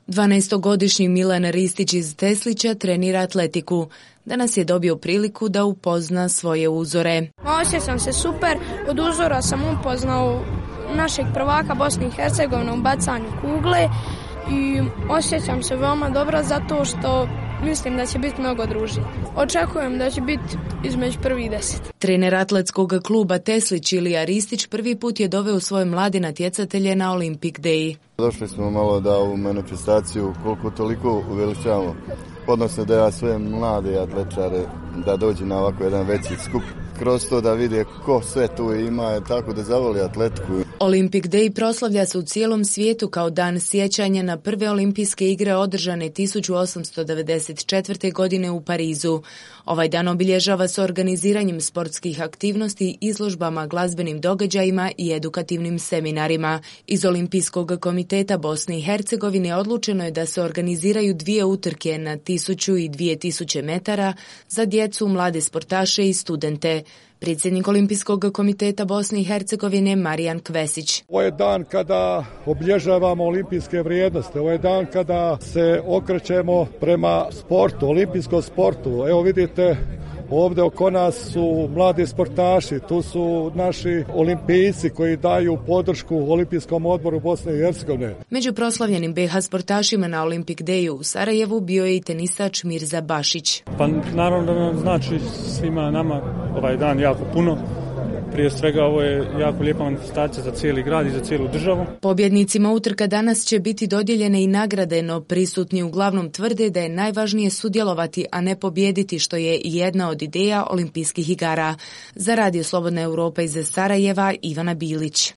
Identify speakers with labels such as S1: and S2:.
S1: 12-godišnji Milan Ristić iz Teslića trenira atletiku. Danas je dobio priliku da upozna svoje uzore.
S2: Osjećam se super, od uzora sam upoznao našeg prvaka Bosne i Hercegovine u bacanju kugle i osjećam se veoma dobro zato što mislim da će biti mnogo družije. Očekujem da će biti između prvih 10.
S1: Trener atletskog kluba Teslić Ilija Ristić prvi put je doveo svoje mlade natjecatelje na Olympic Day.
S3: Došli smo malo da u manifestaciju koliko toliko uveličavamo, odnosno da ja sve mlade atletičare da dođu na ovako jedan veći skup. Kroz to da vide ko sve tu ima, tako da zavoli atletiku.
S1: Olympic Day proslavlja se u cijelom svijetu kao dan sjećanja na prve olimpijske igre održane 1894. godine u Parizu. Ovaj dan obilježava se organiziranjem sportskih aktivnosti, izložbama, glazbenim događajima i edukativnim seminarima. Iz Olimpijskog komiteta Bosne i Hercegovine odlučeno je da se organiziraju 2 utrke na 1000 i 2000 metara za djecu, mlade sportaše i studente. Predsjednik Olimpijskog komiteta Bosne i Hercegovine Marijan Kvesić.
S4: Ovo je dan kada obilježavamo olimpijske vrijednosti, ovo je dan kada se okrećemo prema sportu, olimpijskom sportu. Evo vidite, ovdje oko nas su mladi sportaši, tu su naši olimpijci koji daju podršku Olimpijskom odboru Bosne i Hercegovine.
S1: Među proslavljenim BiH sportašima na Olympic Dayu u Sarajevu bio je i tenisač Mirza Bašić.
S5: Pa naravno da nam znači svima nama ovaj dan jako puno. Prije svega ovo je jako lijepa manifestacija za cijeli grad i za cijelu državu.
S1: Pobjednicima utrka danas će biti dodijeljene i nagrade, no prisutni uglavnom tvrde da je najvažnije sudjelovati, a ne pobijediti, što je i jedna od ideja olimpijskih igara. Za Radio Slobodna Europa iz Sarajeva, Ivana Bilić.